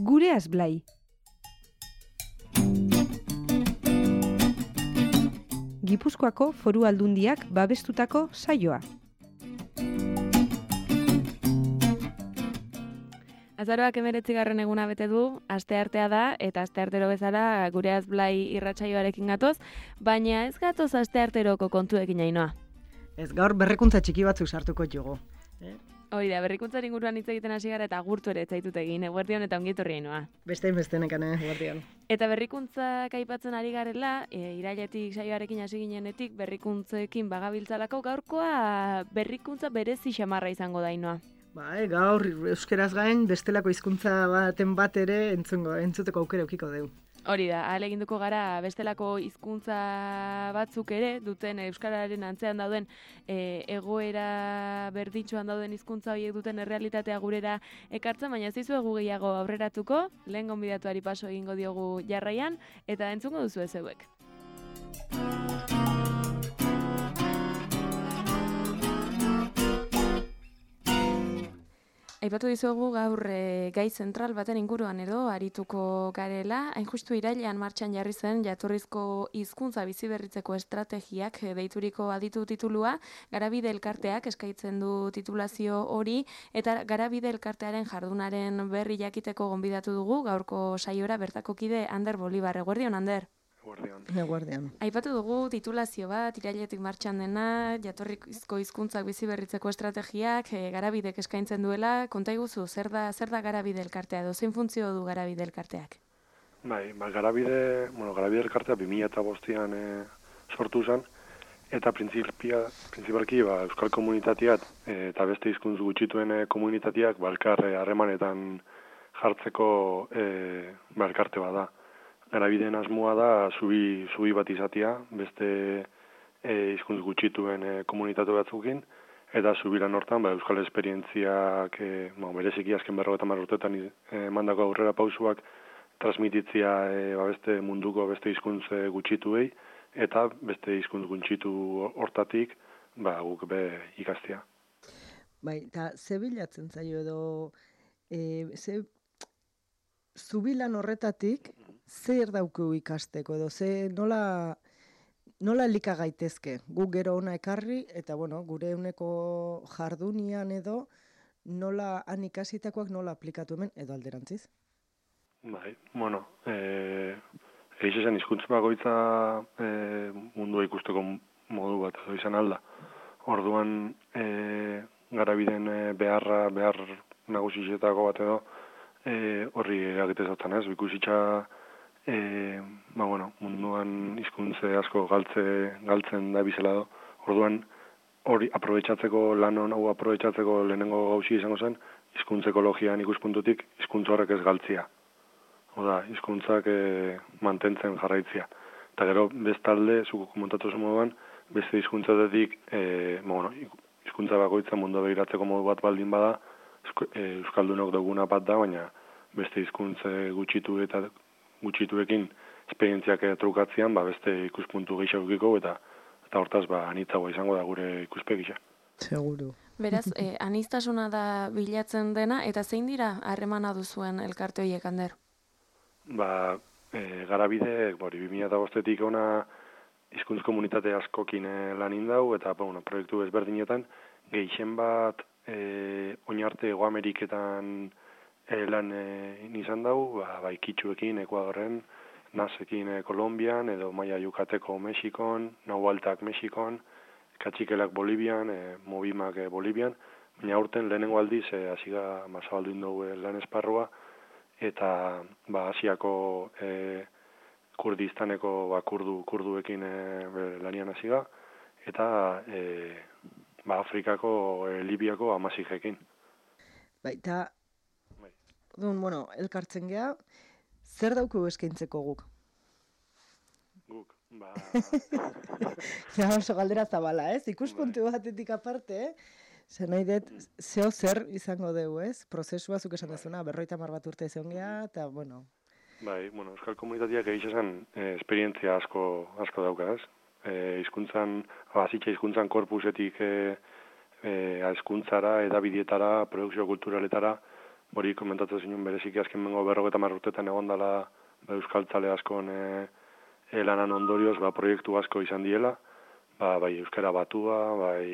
Gureaz Blai. Gipuzkoako Foru Aldundiak babestutako saioa. Azaroak 19. eguna bete du, asteartea da, eta asteartero bezala Gureaz Blai irratsaioarekin gatoz, baina ez gatoz astearteroko kontuekin Ainhoa. Ez gaur berrikuntza txiki batzuk sartuko jugo. Hoi da, berrikuntzaren inguruan hitz egiten hasi gara eta agurtu ere ez zaitut egin, eguerdion eta ongi etorri Ainhoa. Beste nekane, eguerdion. Eta berrikuntzak aipatzen ari garela, irailetik saioarekin hasi ginenetik berrikuntzekin bagabiltzalako gaurkoa berrikuntza berezi xamarra izango da Ainhoa. Gaur euskeraz gain bestelako hizkuntza baten bat ere entzuteko aukera ukiko dugu. Hori da, ahaleginduko gara bestelako hizkuntza batzuk ere duten euskararen antzean dauden egoera berdintsuan dauden hizkuntza horiek duten errealitatea gurera ekartzen, baina ez dizuegu gehiago aurreratuko, lehen gonbidatuari paso egingo diogu jarraian, eta entzungo duzu ez zeuek. Aipatu dizuegu gaur gai zentral baten inguruan edo arituko garela, hain justu irailean martxan jarri zen jatorrizko hizkuntza biziberritzeko estrategiak deituriko aditu titulua, Garabide elkarteak eskaintzen du titulazio hori, eta Garabide elkartearen jardunaren berri jakiteko gonbidatu dugu gaurko saiora bertako kide Ander Bolibar. Eguerdion, Ander? Eguerdion. Aipatu dugu titulazio bat, irailetik martxan dena, jatorrizko hizkuntzak biziberritzeko estrategiak, Garabidek eskaintzen duela. Konta iguzu, zer da Garabide elkartea edo zein funtzio du Garabide elkarteak? Garabide elkartea 2005an sortu zen, eta printzipalki euskal komunitateak eta beste hizkuntz gutxituen komunitateak elkar harremanetan jartzeko elkarte bat da. Garabideen asmoa da zubi bat izatea, beste hizkuntz gutxituen komunitate batzukin, eta zubiran hortan euskal esperientziak bereziki azken 50 urteetan emandako aurrera pausuak transmititzea beste munduko beste hizkuntz gutxituei, eta beste hizkuntz gutxitu hortatik guk ikastea. Eta ze bilatzen zaio edo zubilan horretatik zer dauku ikasteko edo nola elika gaitezke? Guk gero ona ekarri eta gure eguneko jardunian edo nola han ikasitakoak nola aplikatu hemen edo alderantziz? Egiz esan hizkuntza bakoitza mundua ikusteko modu bat edo izan alda. Orduan Garabideen behar nagusietako bat edo horri eragite zautan ez, ikusitza munduan hizkuntze asko galtzen da bizela do. Orduan hori lan hau aprobetxatzeko lehenengo gauzi izango zen, hizkuntza ekologian ikuspuntutik hizkuntza horrek ez galtzia. Oda, hizkuntzak mantentzen jarraitzia. Eta gero bestalde, zuko komentatu zen moduan, beste hizkuntzatetik hizkuntza bakoitza mundu begiratzeko modu bat baldin bada, euskaldunok duguna bat da, baina beste hizkuntze gutxituekin esperientziak trukatzean, beste ikuspuntu gehiagokiko eta hortaz anitzagoa izango da gure ikuspegisa. Seguru. Beraz, aniztasuna da bilatzen dena, eta zein dira harremana duzuen elkarte horiek, Ander? Garabide, 2005etik ona hizkuntz komunitate askokin lan indau, eta proiektu ezberdinetan, gehien bat oinarte Hego Ameriketan lan izan dau, Kitxuekin, Ekuadorren, Nasekin Kolombian, edo Maia Yukateko Mexikon, Nahualtak Mexikon, Katxikelak Bolivian, Mobimak Bolivian, baina aurten lehenengo aldiz hasiga zabaldu indau lan esparrua, eta Asiako Kurdistaneko kurduekin lanian hasiga, eta Afrikako, Libiako Amasijekin. Eta, elkartzen geha, zer dauku eskaintzeko guk? Guk, oso galdera zabala, ez? Ikuspuntu batetik aparte, zer nahi dut, zer izango dugu, ez? Prozesua zuk esan dezuna, 50 bat urte egon geha, eta, euskal komunitateak egitxesan esperientzia asko dauka, ez? Hizkuntzan korpusetik hizkuntzara, edabidietara, produkzio kulturaletara, hori komentatzen zinun bereziki azken bengo 50 urtetan egon dela euskaltzale askon lanan ondorioz proiektu asko izan diela, bai euskara batua, bai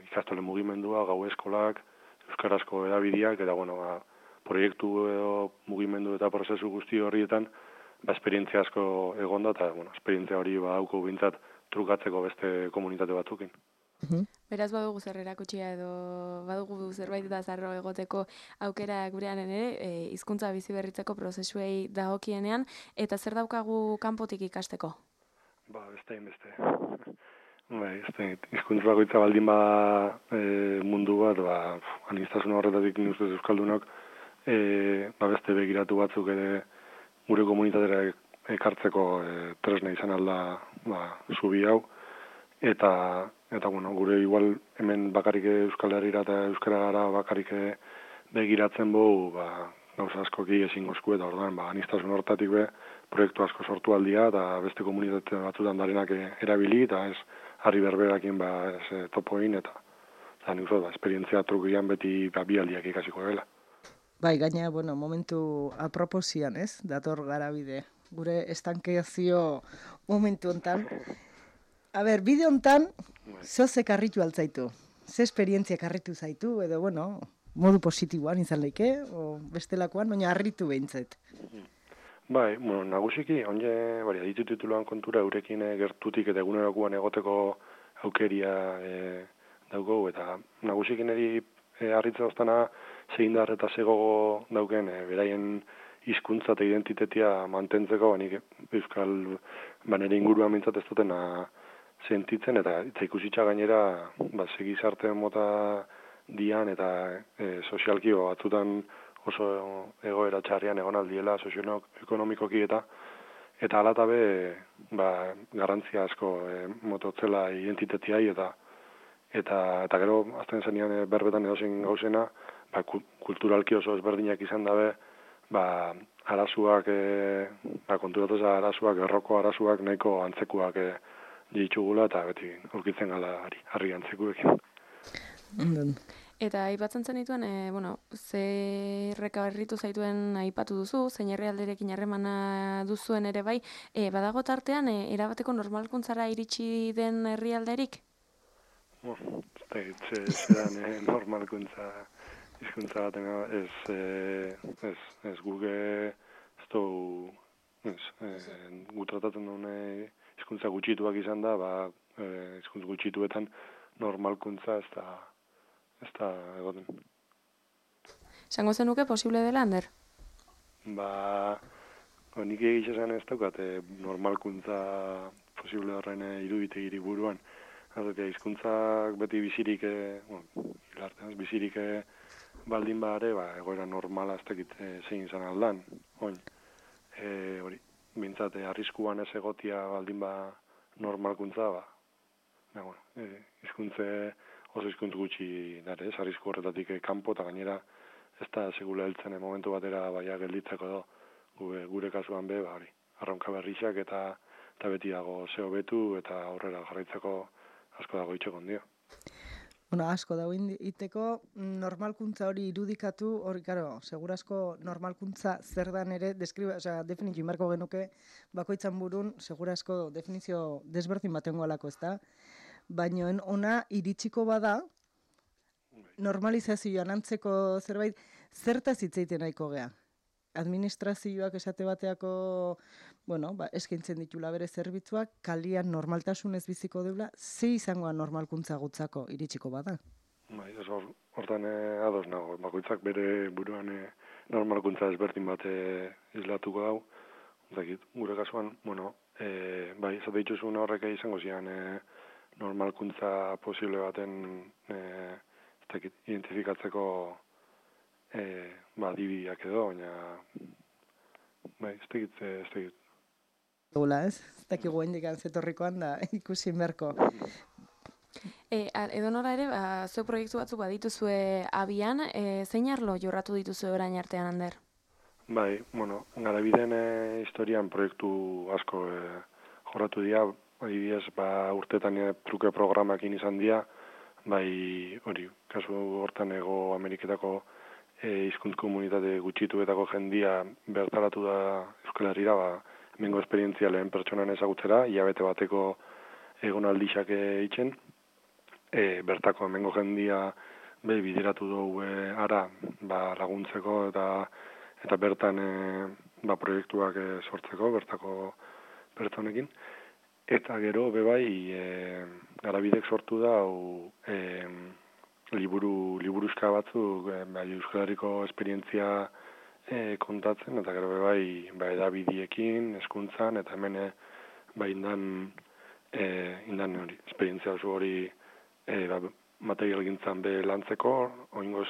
ikastole mugimendua, gau eskolak, euskarazko edabideak, eta proiektu edo mugimendu eta prozesu guzti horrietan esperientzia asko egon da, eta esperientzia hori dauko bintzat trukatzeko beste komunitate batzukin. Beraz badugu zer erakutsia edo badugu zerbait da zarro egoteko aukera gurean ere, hizkuntza bizi berritzeko prozesuei dagokienean, eta zer daukagu kanpotik ikasteko? Beste. Hizkuntza bakoitza baldin mundu bat, aniztasun horretatik ustez euskaldunok, beste begiratu batzuk ere gure komunitatera ekartzeko tresna izan alda zubi hau, eta gure igual hemen bakarrik Euskal Herrira eta Euskara gara bakarrik begiratzen bogu, gauza askoki ezingozku, eta orduan, aniztasun horretatik proiektu asko sortu aldia, eta beste komunitate batzutan darenak erabili, eta ez harri berberakin topoin, eta nik uste, esperientzia trukian beti bi aldiak ikasiko dela. Bai, gaina, momentu aproposian, ez? Dator garabide. Gure estankezio momentu hontan. Bide hontan, zehozek harritu altzaitu? Ze esperientzia harritu zaitu, edo, modu positiboan izan leike, o bestelakoan, baina harritu behintzat. Bai, nagusiki, onge, aditu tituluan kontura eurekin gertutik eta egunerokoan egoteko aukeria dauko, eta nagusikin eri harritza oztana zeindar eta zegogo dauken beraien hizkuntza eta identitetia mantentzeko, nik euskal nire inguruan mintzat ez dutena sentitzen, eta ikusitza gainera segizarte mota dian eta sozialki batzutan oso egoera txarrian egon aldiela sozioekonomikoki eta alatabe garrantzia asko mototzela identitetiai eta gero azten zenian berbetan edozein gauzena kulturalki oso ezberdinak izan dabe arazuak konturatuz arazuak, erroko arazuak nahiko antzekuak ditugula eta beti aurkitzen gala harri antzekuekin. Eta aipatzen zenituen, zerreka berritu zaituen aipatu duzu, zein herrialderekin harremana duzuen ere bai, badago tartean, erabateko normalkuntzara iritsi den herrialderik? Zeran normalkuntza hizkuntza baten ez guge gu tratatzen duen hizkuntza gutxituak izan da, hizkuntza gutxituetan normalkuntza ez da egoten. Esango zenuke posible dela, Ander? Nik egitxesan ez daukat normalkuntza posible horren iruditegiri buruan. Hizkuntzak beti bizirik, bizirik baldin bare, egoera normala ez dakit zein izan aldan. Hori, bintzat, arriskuan ez egotia baldin normalkuntza, oso hizkuntz gutxi dara, arrisku horretatik kanpo, eta gainera ez da segula heltzen momentu batera gelditzeko do, gure kasuan arronka berrizak eta beti dago zeo betu eta aurrera jarraitzeko asko dago itxekon dio. Asko dago iteko normalkuntza hori irudikatu, hori, segurazko normalkuntza zer dan ere, definitio inbarko genuke, bakoitzan burun, segurazko definizio desberdin baten golako, ez da? Baina ona iritsiko bada, normalizazioan antzeko zerbait, zertaz hitzeiten nahiko gea? Administrazioak esate bateako, eskaintzen ditula bere zerbitzuak, kalian normaltasunez biziko deula, ze izangoa normalkuntza gutzako iritsiko bada? Hortan ados nago, bakoitzak bere buruan normalkuntza ezberdin bat islatuko dau. Gure kasuan, zate dituzun horrek izango zian normalkuntza posible baten identifikatzeko adibideak edo, baina ez tegit. Gula, ez? Ez dakigu hendikan zetorrikoan da ikusi berko. Edo nora ere, zeu proiektu batzuk badituzue abian, zein arlo jorratu dituzue orain artean, Ander? Garabideen historian proiektu asko jorratu dira, adibidez, urtetan truke programakin izan dira, hori, kasu hortan Ego Ameriketako hizkuntz komunitate gutxituetako jendia bertaratu da Euskal Herrira, hemengo esperientzia lehen pertsonan ezagutzera, hilabete bateko egonaldixak eitzen, bertako hemengo jendia bideratu dugu ara laguntzeko eta bertan proiektuak sortzeko bertako pertsonekin. Eta gero bebai Garabidek sortu da liburuzka batzuk Euskal Herriko esperientzia kontatzen, eta gero bebai edabidiekin, hezkuntzan, eta hemen indan hori, esperientzia oso hori materialgintzan lantzeko, oingoz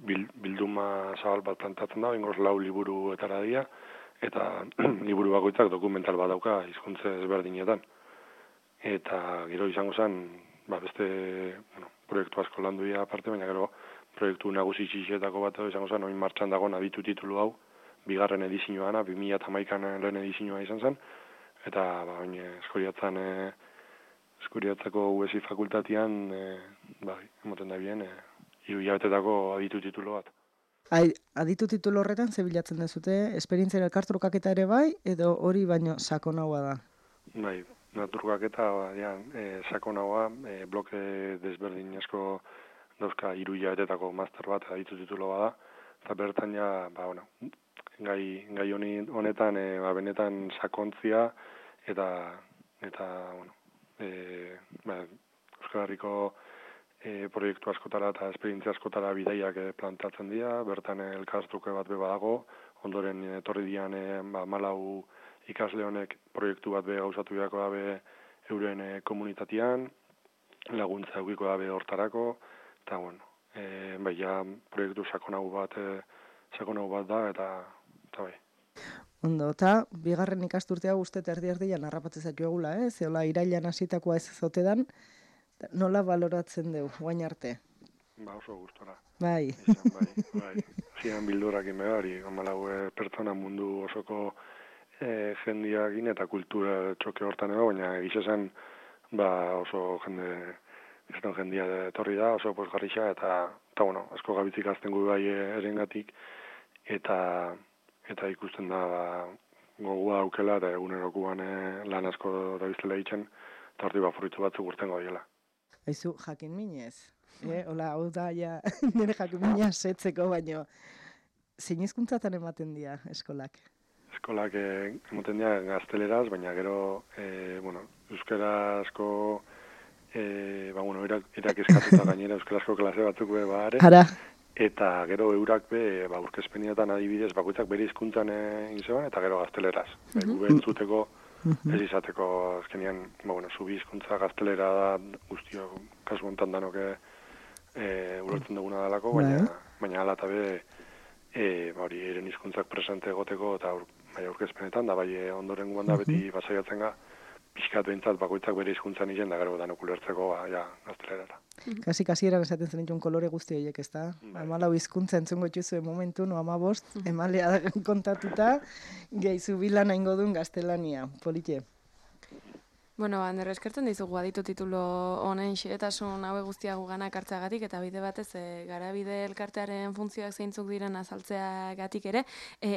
bilduma zabal bat plantatzen da, oingoz 4 liburuetara dira, eta liburu bakoitzak dokumental bat dauka hizkuntza ezberdinetan. Eta gero izango zen, beste proiektu asko landu dira aparte, baina gero proiektu nagusi txixetako bat izango zen, oin martxan dagoen aditu titulu hau, 2. edizioana, 2011an lehen edizioa izan zen, eta oin Eskuriatzako UESI fakultatian, emoten da bien, 3 hilabetetako aditu titulu bat. Aditu titulu horretan zebilatzen dezute, esperientzia elkartrukaketa ere bai, edo hori baino sakonagoa da? Bai, naturkaketa sakonagoa, bloke desberdin asko dauzka 3 hilabetetako master bat aditu titulu bada, eta bertan gai honetan benetan sakontzia eta Euskal Herriko proiektu askotara eta esperientzia askotara bidaiak plantatzen dira, bertan elkartruke bat badago, ondoren etorri dian 14 ikasle honek proiektu bat gauzatu beharko dabe euren komunitatean, laguntza eukiko dabe hortarako, eta proiektu sakonago bat da, eta bai. Ondo, eta 2. ikasturtea guztet erdi-erdian harrapatzen zaitu egula, zeola irailan hasitakoa ez zotedan, nola baloratzen dugu, guain arte? Oso gustora. Bai. Zian bildurak inbegari, 14 pertsona mundu osoko jendiakin eta kultura txoke hortan edo, baina egizezen oso jendia etorri da, oso posgarrixa, eta asko gabitzik azten gu bai erengatik, eta ikusten da gogua aukela, eta egunerokuan lan asko da biztela ditzen, eta horti fruitu batzuk urtengo diela. Aizu, jakin minez. Hola, hau da, nire jakin minez setzeko, baino zein hizkuntzatan ematen dira eskolak? Eskolak ematen dira gazteleraz, baina gero, euskarazko, irak eskatuta gainera euskarazko klase batzuk are. Ara. Eta gero eurak aurkezpenietan adibidez bakoitzak bere hizkuntzan inzeban, eta gero gazteleraz. Gube entzuteko, ez izateko azkenean, zubi hizkuntza gaztelera da guztio, kasu hontan danoke ulertzen duguna dalako, baina ala eta eren hizkuntzak presente egoteko eta aurkezpenetan, da ondoren guan da beti basaiatzen ga, pixkat behintzat bakoitzak bere hizkuntzan izen, da gero danok ulertzeko gaztelerara. Kasi eran esaten zen ditun kolore guzti horiek, ez da? 14 hizkuntza entzungo txuzue momentu, 15, emalea kontatuta, gehizu bilana ingo duen gaztelania. Polite? Ander, eskertzen dizugu aditu titulo honen xehetasun haue guztia guganak hartzeagatik, eta bide batez Garabide elkartearen funtzioak zeintzuk diren azaltzeagatik ere.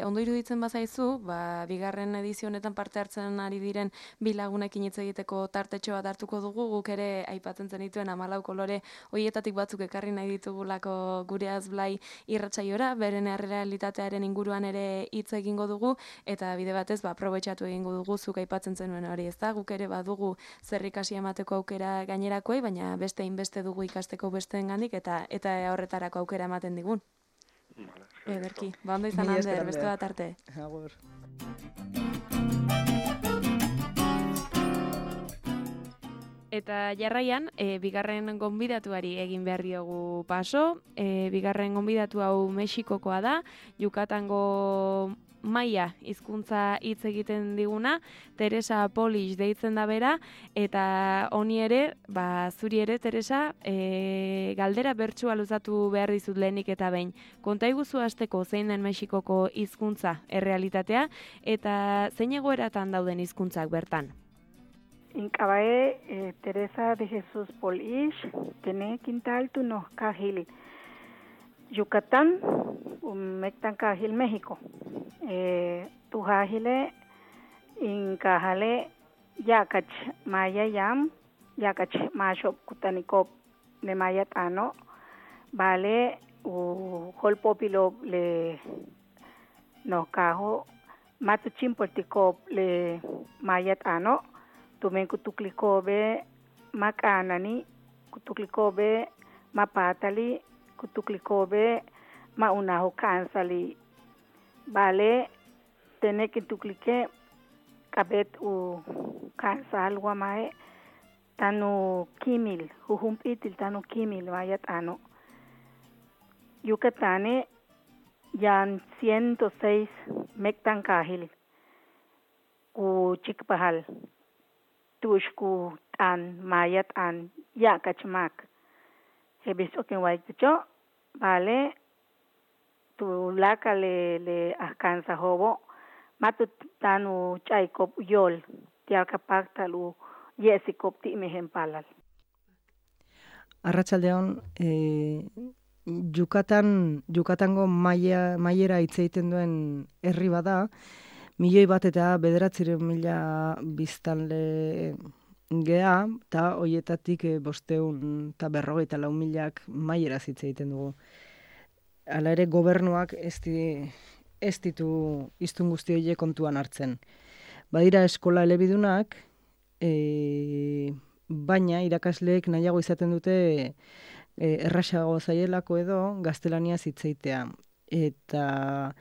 Ondo iruditzen bazaizu, 2. edizio honetan parte hartzen ari diren bi lagunekin hitz egiteko tartetxo bat hartuko dugu, guk ere aipatzen zenituen 14 kolore horietatik batzuk ekarri nahi ditugulako gure Azblai irratsaiora, beren errealitatearen inguruan ere hitz egingo dugu, eta bide batez aprobetxatu egingo dugu zuk aipatzen zenuen hori, ezta? Guk ere dugu zer ikasi emateko aukera gainerakoei, baina beste inbeste dugu ikasteko besteengandik eta horretarako aukera ematen digun. Ederki, ondo izan Ander, beste bat arte. Agur. Eta jarraian, 2. gonbidatuari egin behar diogu paso. 2. gonbidatu hau Mexikokoa da, Yucatango Maia hizkuntza hitz egiten diguna, Teresa Polish deitzen da bera, eta honi ere, zuri ere, Teresa, galdera bertsua luzatu behar dizut lehenik eta behin. Konta iguzu hasteko zein den Mexikoko hizkuntza errealitatea, eta zein egoeratan dauden hizkuntzak bertan? Teresa de Jesús Polish, tiene quintal tu nos cajil. Yucatán, Mectancajil, México. Tujajile, Incajale, Yakach, Maya Yam, Yakach, Mashop, Kutanikop, le Mayatano, Vale, Holpopilo, le Nocajo, Matuchim Porticop, le Mayatano, Tumen Kutuklikobe, Makanani, Kutuklikobe, Mapatali, Kutuklikobe, Maunaho Kansali. Vale, tener que tuklique kabet u kansal guamae tanu kimil, jujumpitil tanu kimil vayat ano. Yucatane yan 106 mectancajil ku chikpahal tushku tan mayat an ya kachmak. Hebis oken waikcho, vale, tu laka le alcanza hobo, matut tanu chaikop yol, tialka paktalu yesikop ti mehen palal. Arratsaldeon, Yucatango maiera hitz egiten duen herri bada, 1.900.000 biztanle gea, eta hoietatik 554.000 maieraz hitz egiten dugu. Hala ere gobernuak ez ditu hiztun guzti horiek kontuan hartzen. Badira eskola elebidunak, baina irakasleek nahiago izaten dute errazago zaielako edo gaztelaniaz hitz egitea. Eta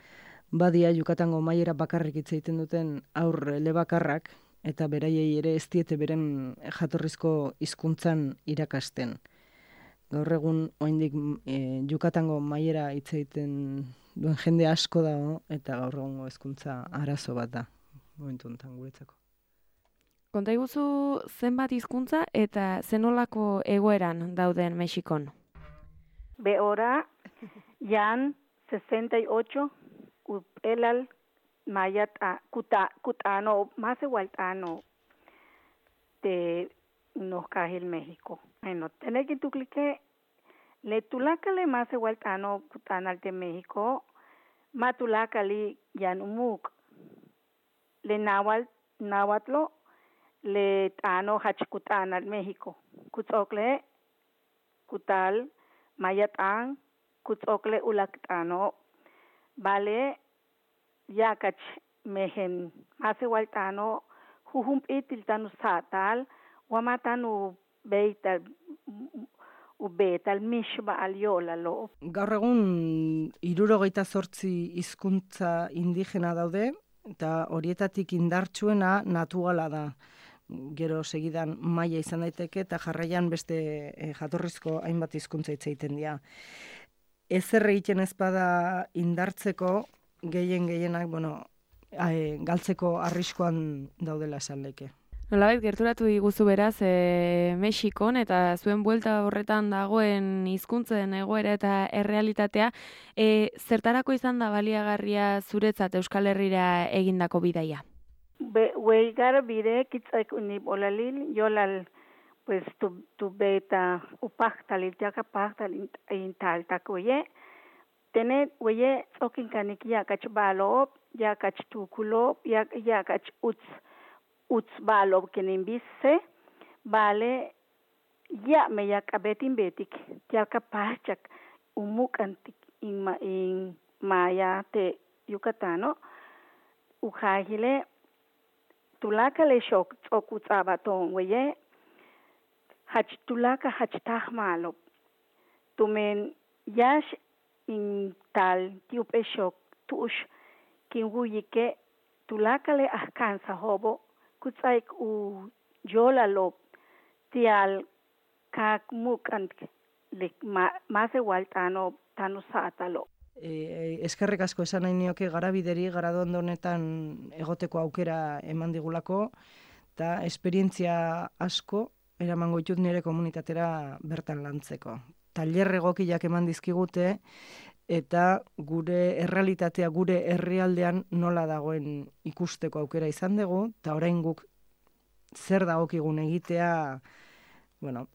badia Yucatango maiera bakarrik hitz egiten duten haur elebakarrak, eta beraiei ere ez diete beren jatorrizko hizkuntzan irakasten. Gaur egun oraindik Yucatango maiera hitz egiten duen jende asko dago, eta gaur egungo hezkuntza arazo bat da momentu honetan guretzako. Konta iguzu zenbat hizkuntza eta zenolako egoeran dauden Mexikon? Behora, yan 68 elal mayat kutano, más igualtano de unos cajil México. Bueno, tener que tu clique le tulacale más igualtano kutanal de México, matulacali yanumuk, le nahuatlo, le tano hachkutanal México, kutzokle kutal mayatang, kutzokle ulaktano, vale yakach mehen más igualtano jujumpitil tanu satal wamatanu beital ubetal mishba aliolalo. Gaur egun 78 hizkuntza indigena daude, eta horietatik indartsuena natuala da. Gero segidan maila izan daiteke eta jarraian beste jatorrizko hainbat hizkuntza hitz egiten dira. Ezer egiten ez bada indartzeko gehienak, galtzeko arriskoan daudela esan leke. Nolabait gerturatu diguzu beraz Mexikon eta zuen buelta horretan dagoen hizkuntzen egoera eta errealitatea, zertarako izan da baliagarria zuretzat Euskal Herrira egindako bidaia? Huelgar bide kitzaik unip olalil, yolal pues tu beta upachtalil, jaka pachtalil intaltak oye, tenet oye tsokin kanik yakach balop, yakach tukulop, yakach uts balop kenimbisse, vale ya me yakabetin betik, jaka pachak umukantik in maya te Yucatano, ukahile tulaka le shok tsokutsabaton weye tulaka hachtahmalop tumen yash in tal tiupe shok tush kinwuyike tulaka le ahkansa hobo kutsaik u jolalop tial kakmukant le mase waltano tanu satalo. Eskerrik asko esan nahi nioke Garabideri Garadondo honetan egoteko aukera eman digulako, eta esperientzia asko eramango ditut nire komunitatera bertan lantzeko. Tailer egokiak eman dizkigute, eta gure errealitatea, gure herrialdean nola dagoen ikusteko aukera izan dugu, eta orain guk zer dagokigun egitea,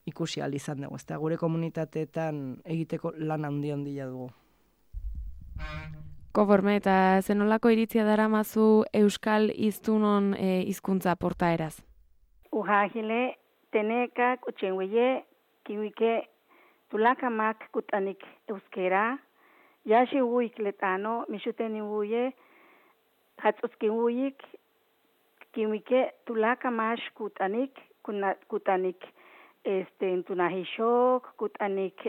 ikusi ahal izan dugu. Eta gure komunitateetan egiteko lan handia dugu. Konforme, eta zenolako iritzia daramazu euskal hiztunon hizkuntza portaeraz? Uhagile, teneka, kutxengueye, kiwike, tulakamak kutanik euskera, yashi uik letano, mishuteni uye, hatsuski uik, kiwike, tulakamash kutanik, kutanik, tunahishok, kutanik,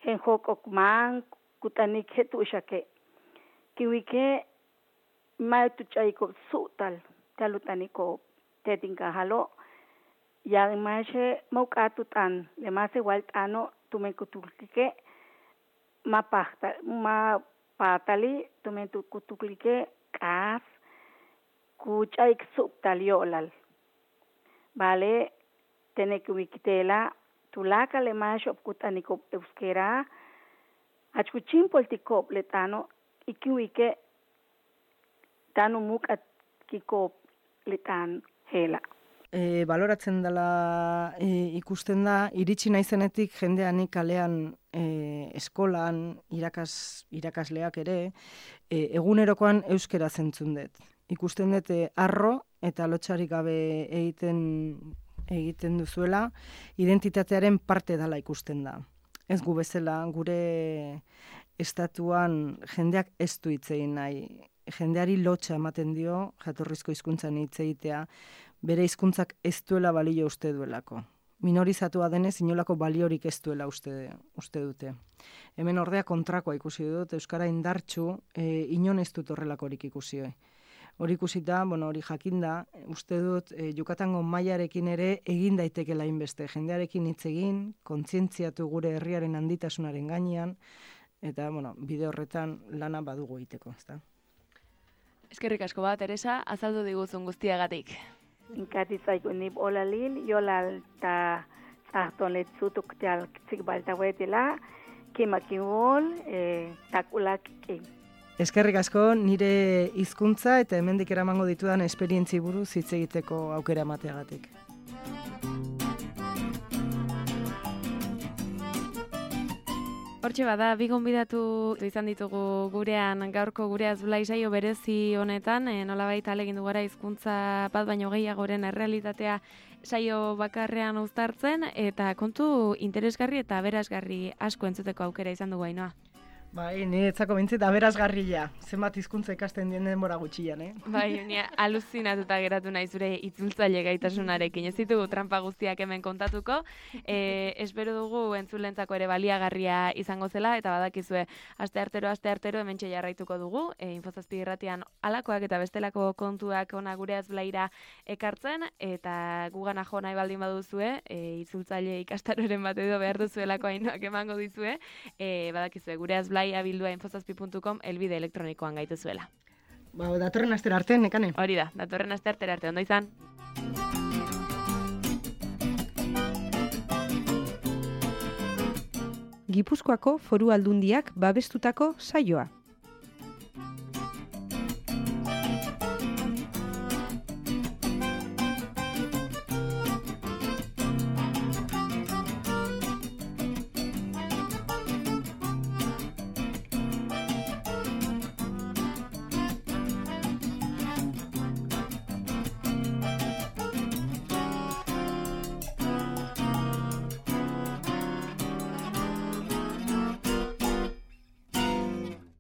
henhok okman, kutanik hetushake. Kiwike, maituchaiko sutal, talutaniko, tetinka halo, yang mashe maukatutan, lemase waltano, tumekutulike, mapatali, tumekutulike, kas, kuchaik subtaliolal. Vale, tenekuikitela, tulaka lemashe opkutaniko euskera, achkuchim poltikop letano, ikiwike, tanu mukat kikop letan hela. Baloratzen dela ikusten da, iritsi naizenetik jendeanik kalean eskolan, irakasleak ere, egunerokoan euskera zentzun dut. Ikusten dut arro eta lotxarik gabe egiten duzuela, identitatearen parte dela ikusten da. Ez gu bezala, gure estatuan jendeak ez du hitz egin nahi. Jendeari lotxa ematen dio, jatorrizko hizkuntzan hitz egitea, bere hizkuntzak ez duela balio uste duelako. Minorizatua denez, inolako baliorik ez duela uste dute. Hemen ordea kontrakoa ikusi dut, euskara indartsu, inon ez dut horrelakorik ikusi. Hori ikusita, hori jakinda, uste dut, Yucatango mailarekin ere egin daitekela inbeste. Jendearekin hitz egin, kontzientziatu gure herriaren handitasunaren gainean, eta, bide horretan lana badugu egiteko, ezta? Eskerrik asko bat, Teresa, azaldu diguzun guztiagatik. Inkatitzaiku nip olalil, jolal ta zahton letzutuk teal zikbalta huetila, kimakin hol, takulak kim. Eskerrik asko nire hizkuntza eta hemendik eramango ditudan esperientzi buruz hitz egiteko aukera emateagatik. Hortxe bada, bi gonbidatu izan ditugu gurean gaurko gureaz Blai saio berezi honetan, nolabait ahalegin du gara hizkuntza bat baino gehiagoren errealitatea saio bakarrean uztartzen, eta kontu interesgarri eta aberasgarri asko entzuteko aukera izan dugu Ainhoa. Bai, niretzako bintzit aberasgarria, zenbat hizkuntza ikasten dien denbora gutxian, Bai, aluzinatuta geratu nahi zure itzultzaile gaitasunarekin. Ez ditugu trampa guztiak hemen kontatuko. Espero dugu entzulentzako ere baliagarria izango zela, eta badakizue asteartero hementxe jarraituko dugu. Infozazpi irratian alakoak eta bestelako kontuak ona gureaz Blaira ekartzen, eta gugana jo nahi baldin baduzue, itzultzaile ikastaroren bat edo behar duzuelako Ainhoak emango dizue, badakizue gureaz blaiabildua infozazpi.com elbide elektronikoan gaituzuela. Datorren astera arte, Nekane? Hori da, datorren astera arte, ondo izan. Gipuzkoako Foru Aldundiak babestutako saioa.